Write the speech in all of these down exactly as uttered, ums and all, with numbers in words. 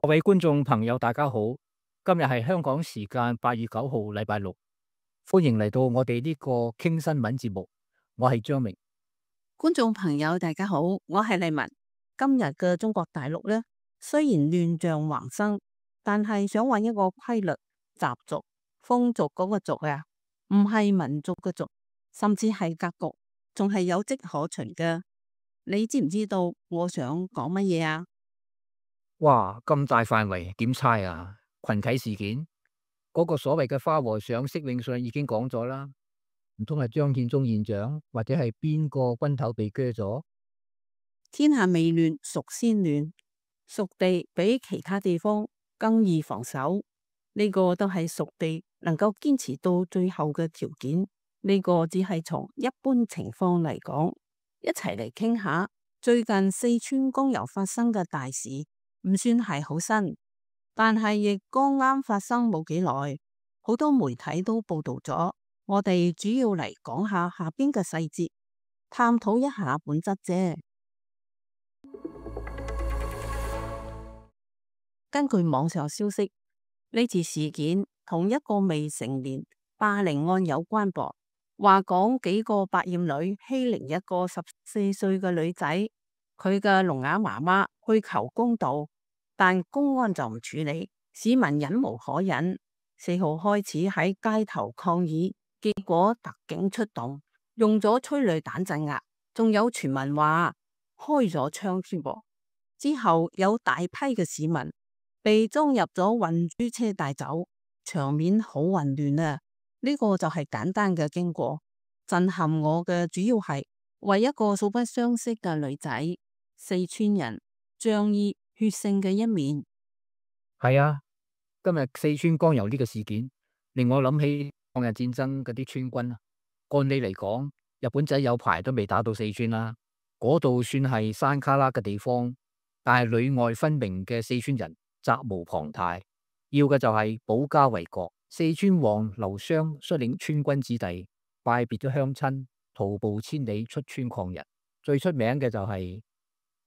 各位觀眾朋友，大家好！今日係香港時間八月九號，禮拜六，歡迎嚟到我哋呢個傾新聞節目。我係張明。觀眾朋友，大家好，我係麗文。今日嘅中國大陸呢，雖然亂象橫生，但係想揾一個規律、習俗、風俗嗰個俗啊，唔係民族嘅俗，甚至係格局，仲係有跡可循嘅。你知唔知道我想講乜嘢啊？哇，咁大範圍點猜啊？群體事件嗰個所謂嘅花和尚釋永信已經講咗啦，唔通係張建宗縣長，或者係邊個軍頭被鋸咗？天下未亂，蜀先亂。蜀地比其他地方更易防守，呢個都係蜀地能夠堅持到最後嘅條件。呢個只係從一般情況嚟講，一齊嚟傾下最近四川江油發生嘅大事。唔算係好新，但係亦剛啱發生冇幾耐，好多媒體都報道咗。我哋主要嚟講下下邊嘅細節，探討一下本質啫。根據網上消息，呢次事件同一個未成年霸凌案有關噃，話講幾個百厭女欺凌一個十四歲嘅女仔，佢嘅聾啞媽媽去求公道。但公安就唔處理，市民忍無可忍，四號開始喺街頭抗議，結果特警出動，用咗催淚彈鎮壓，仲有傳聞話開咗槍添噃。之後有大批嘅市民被裝入咗運輸車帶走，場面好混亂啊！呢個就係簡單嘅經過，震撼我嘅主要係為一個素不相識嘅女仔，四川人仗義血性嘅一面。係啊，今日四川江油呢個事件令我諗起抗日戰爭嗰啲川軍啊。按理嚟講，日本仔有排都未打到四川啦，嗰度算係山卡拉嘅地方，但係裏外分明嘅四川人責無旁貸，要嘅就係保家衛國。四川王劉湘率領川軍子弟拜別咗鄉親，徒步千里出川抗日。最出名嘅就係、是。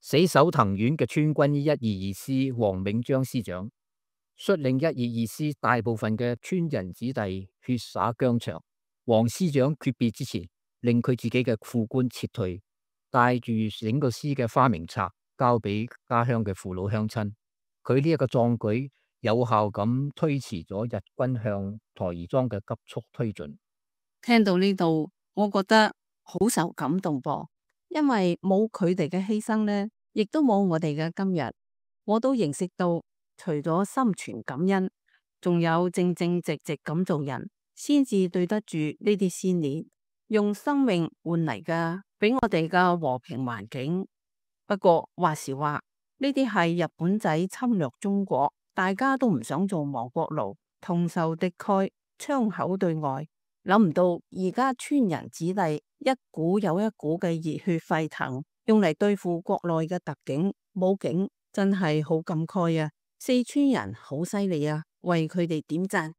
死守藤縣嘅川軍一二二師黃銘章師長率領一二二師大部分嘅川人子弟血灑疆場。黃師長訣別之前，令佢自己嘅副官撤退，帶住整個師嘅花名冊交俾家鄉嘅父老鄉親。佢呢一個壯舉有效咁推遲咗日軍向台兒莊嘅急速推進。聽到呢度，我覺得好受感動噃。因為冇佢哋嘅犧牲呢，亦都冇我哋嘅今日。我都認識到，除咗心存感恩，仲有正正直直咁做人，先至對得住呢啲先烈，用生命換嚟嘅俾我哋嘅和平環境。不過話時話，呢啲係日本仔侵略中國，大家都唔想做亡國奴，同仇敵愾，槍口對外。諗唔到而家川人子弟一股有一股嘅熱血沸騰，用嚟對付國內嘅特警武警，真係好感慨啊！四川人好犀利啊，為佢哋點讚。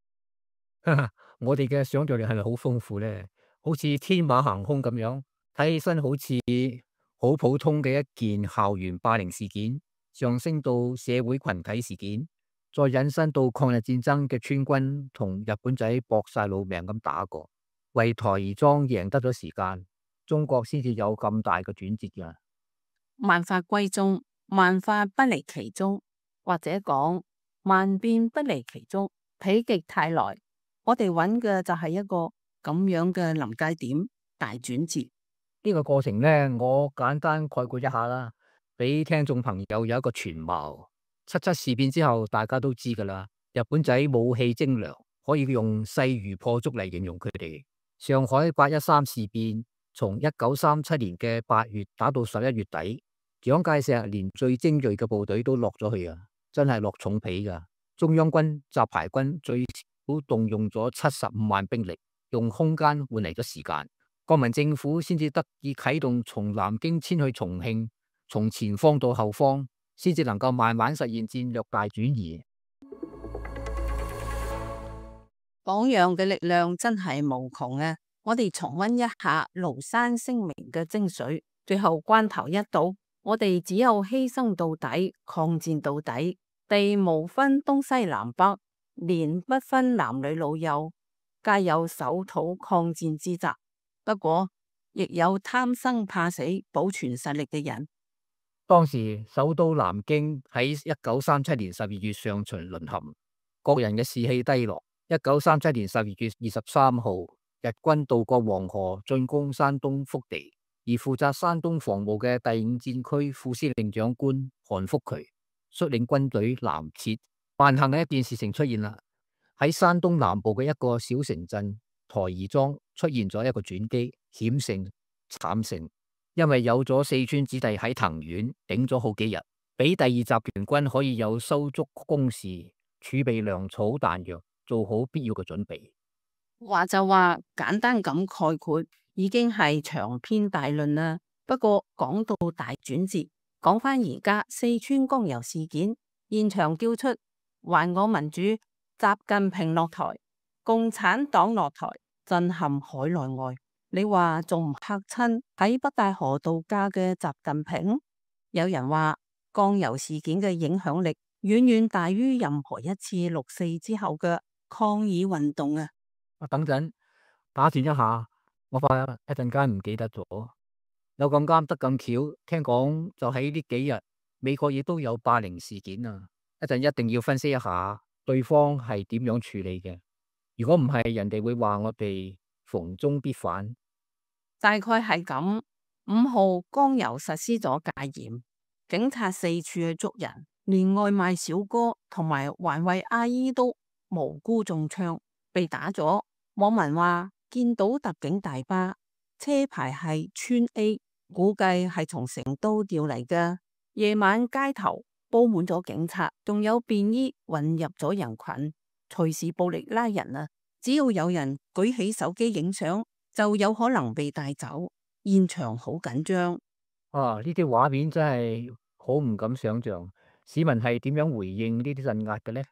我哋嘅想象力係咪好豐富呢？好似天馬行空咁樣，睇起身好似好普通嘅一件校園霸凌事件，上升到社會群體事件。再引申到抗日戰爭嘅川軍同日本仔搏晒老命咁打過，為台兒莊贏得咗時間，中國先至有咁大嘅轉折噶。萬法歸宗，萬法不離其宗，或者講萬變不離其宗，否極泰來。我哋揾嘅就係一個咁樣嘅臨界點，大轉折。呢個過程呢，我簡單概括一下啦，俾聽眾朋友有一個全貌。七七事變之後，大家都知噶啦，日本仔武器精良，可以用勢如破竹嚟形容佢哋。上海八一三事變從一九三七年嘅八月打到十一月底，蔣介石連最精銳嘅部隊都落咗去啊，真係落重皮噶。中央軍雜牌軍最少動用咗七十五萬兵力，用空間換嚟咗時間，國民政府先至得以啟動從南京遷去重慶，從前方到後方，先至能夠慢慢實現戰略大轉移。榜樣嘅力量真係無窮啊！我哋重溫一下廬山聲明嘅精髓，最後關頭一到，我哋只有犧牲到底，抗戰到底，地無分東西南北，年不分男女老幼，皆有守土抗戰之責。不過，亦有貪生怕死保存實力嘅人。當時首都南京喺一九三七年十二月上旬淪陷，國人嘅士氣低落。一九三七年十二月二十三號，日軍渡過黃河進攻山東腹地，而負責山東防務嘅第五戰區副司令長官韓福渠率領軍隊南撤。萬幸嘅一件事情出現啦，喺山東南部嘅一個小城鎮台兒莊出現咗一個轉機，險勝慘勝。因為有咗四川子弟喺藤縣頂咗好幾日，俾第二集團軍可以有收足工事，儲備糧草彈藥，做好必要嘅準備。話就話簡單咁概括，已經係長篇大論啦。不過講到大轉折，講翻而家四川江油事件，現場叫出還我民主，習近平落台，共產黨落台，震撼海內外。你話仲唔嚇親喺北戴河度假嘅習近平？有人話江油事件嘅影響力遠遠大於任何一次六四之後嘅抗議運動啊！啊，等陣打斷一下，我怕一陣間唔記得咗。有咁啱得咁巧，聽講就喺呢幾日，美國亦都有霸凌事件啊！一陣一定要分析一下對方係點樣處理嘅。如果唔係，人哋會話我哋逢中必反。大概係咁。五號江油實施咗戒嚴，警察四處去捉人，連外賣小哥同埋環衛阿姨都無辜中槍，被打咗。網民話見到特警大巴，車牌係川 A， 估計係從成都調嚟嘅。夜晚街頭布滿咗警察，仲有便衣混入咗人群，隨時暴力拉人啊！只要有人舉起手機影相，就有可能被帶走。現場好緊張啊！呢啲畫面真係好唔敢想象，市民係點樣回應呢啲鎮壓嘅呢？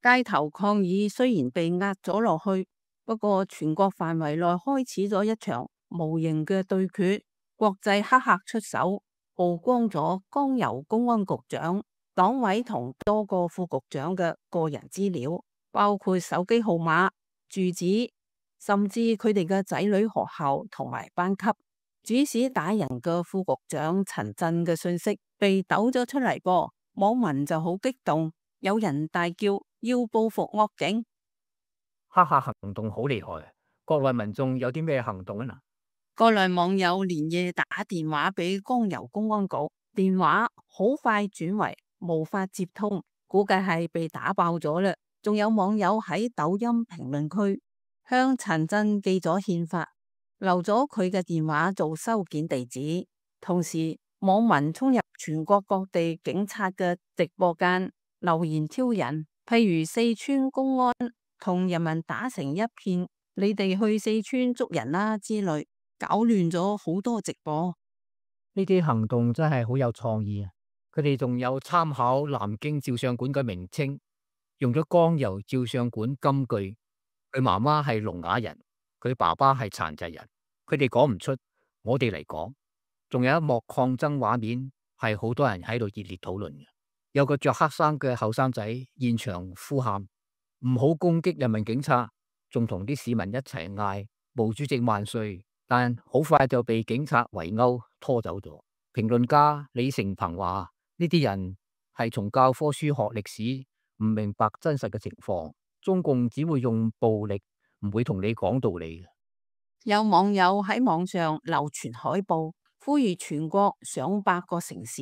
街頭抗議雖然被壓咗落去，不過全國範圍內開始咗一場無形嘅對決。國際黑客出手，曝光咗江油公安局長、黨委同多個副局長嘅個人資料，包括手機號碼、住址，甚至佢哋嘅仔女學校同埋班級。主使打人嘅副局長陳震嘅信息被抖咗出嚟噃，網民就好激動，有人大叫要報復惡警。黑客行動好厲害，國內民眾有啲咩行動啊？嗱，國內網友連夜打電話俾江油公安局，電話好快轉為無法接通，估計係被打爆咗啦。仲有網友喺抖音評論區向陳震寄咗憲法，留咗佢嘅電話做收件地址，同時網民衝入全國各地警察嘅直播間留言挑釁，譬如四川公安同人民打成一片，你哋去四川捉人啦之類，搞亂咗好多直播。呢啲行動真係好有創意啊！佢哋仲有參考南京照相館嘅名稱，用咗江油照相館金句。佢媽媽係聾啞人，佢爸爸係殘疾人。佢哋講唔出，我哋嚟講。仲有一幕抗爭畫面，係好多人喺度熱烈討論嘅。有個着黑衫嘅後生仔現場呼喊：唔好攻擊人民警察，仲同啲市民一齊嗌毛主席萬歲。但好快就被警察圍毆拖走咗。評論家李成鵬話：呢啲人係從教科書學歷史，唔明白真實嘅情況。中共只會用暴力，唔會同你講道理嘅。有網友喺網上流傳海報，呼籲全國上百個城市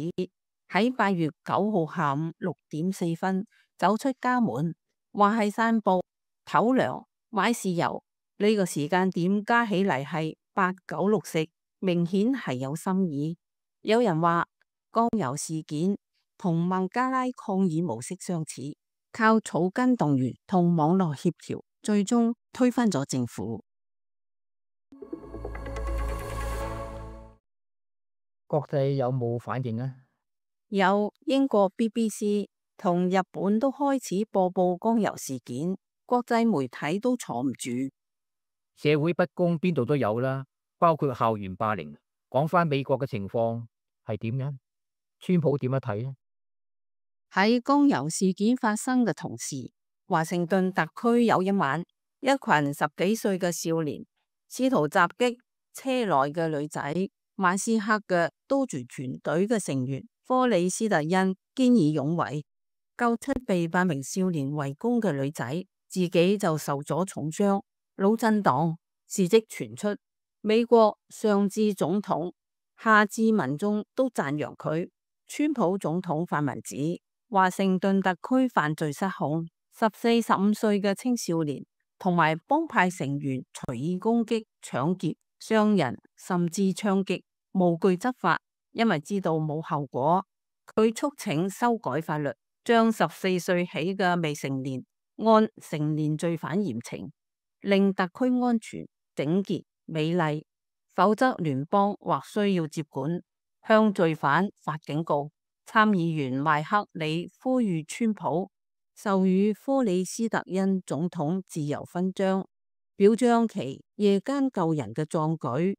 喺八月九號下午六點四分走出家門，話係散步、唞涼、買豉油。呢個時間點加起嚟係八九六四，明顯係有心意。有人話江油事件同孟加拉抗議模式相似，靠草根動員同網絡協調，最終推翻咗政府。國際有冇反應啊？有英國 B B C 同日本都開始播報江油事件，國際媒體都坐唔住。社會不公邊度都有啦，包括校園霸凌。講翻美國嘅情況係點樣？川普點樣睇呢？喺江油事件發生嘅同時，華盛頓特區有一晚，一群十幾歲嘅少年試圖襲擊車內嘅女仔。馬斯克嘅兜住團隊嘅成員科里斯特恩見義勇為，救出被八名少年圍攻嘅女仔，自己就受咗重傷，腦震盪。事跡傳出，美國上至總統，下至民眾都讚揚佢。川普總統發文指，華盛頓特區犯罪失控，十四、十五歲嘅青少年同埋幫派成員隨意攻擊、搶劫、傷人，甚至槍擊，無懼執法，因為知道冇後果。佢促請修改法律，將十四歲起嘅未成年按成年罪犯嚴懲，令特區安全、整潔、美麗。否則聯邦或需要接管，向罪犯發警告。參議員麥克里呼籲川普授予科里斯特恩總統自由勳章，表彰其夜間救人嘅壯舉，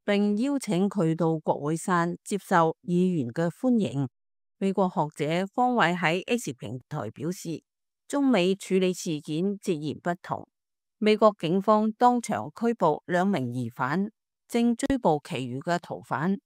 並邀請佢到國會山接受議員嘅歡迎。美國學者方偉喺 X 平台表示，中美處理事件截然不同。美國警方當場拘捕兩名疑犯，正追捕其餘嘅逃犯，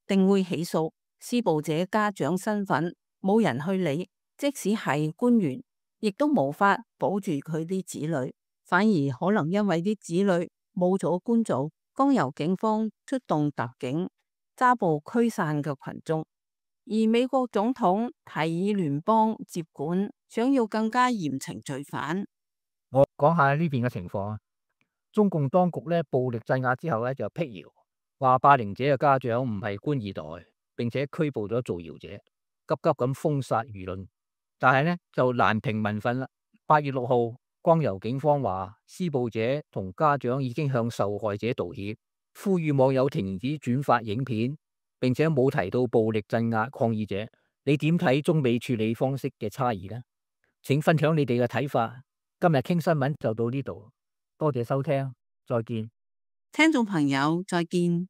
定會起訴。施暴者家長身份冇人去理，即使係官員，亦都無法保住佢啲子女，反而可能因為啲子女冇咗官做，剛由警方出動特警揸捕驅散嘅群眾。而美國總統提議聯邦接管，想要更加嚴懲罪犯。我講下呢邊嘅情況啊。中共當局咧暴力鎮壓之後咧就辟謠，話霸凌者嘅家長唔係官二代，並且拘捕咗造謠者，急急咁封殺輿論。但係咧就難平民憤啦。八月六號，光由警方話施暴者同家長已經向受害者道歉，呼籲網友停止轉發影片，並且冇提到暴力鎮壓抗議者。你點睇中美處理方式嘅差異呢？請分享你哋嘅睇法。今日傾新聞就到呢度，多謝收聽，再見。聽眾朋友，再見。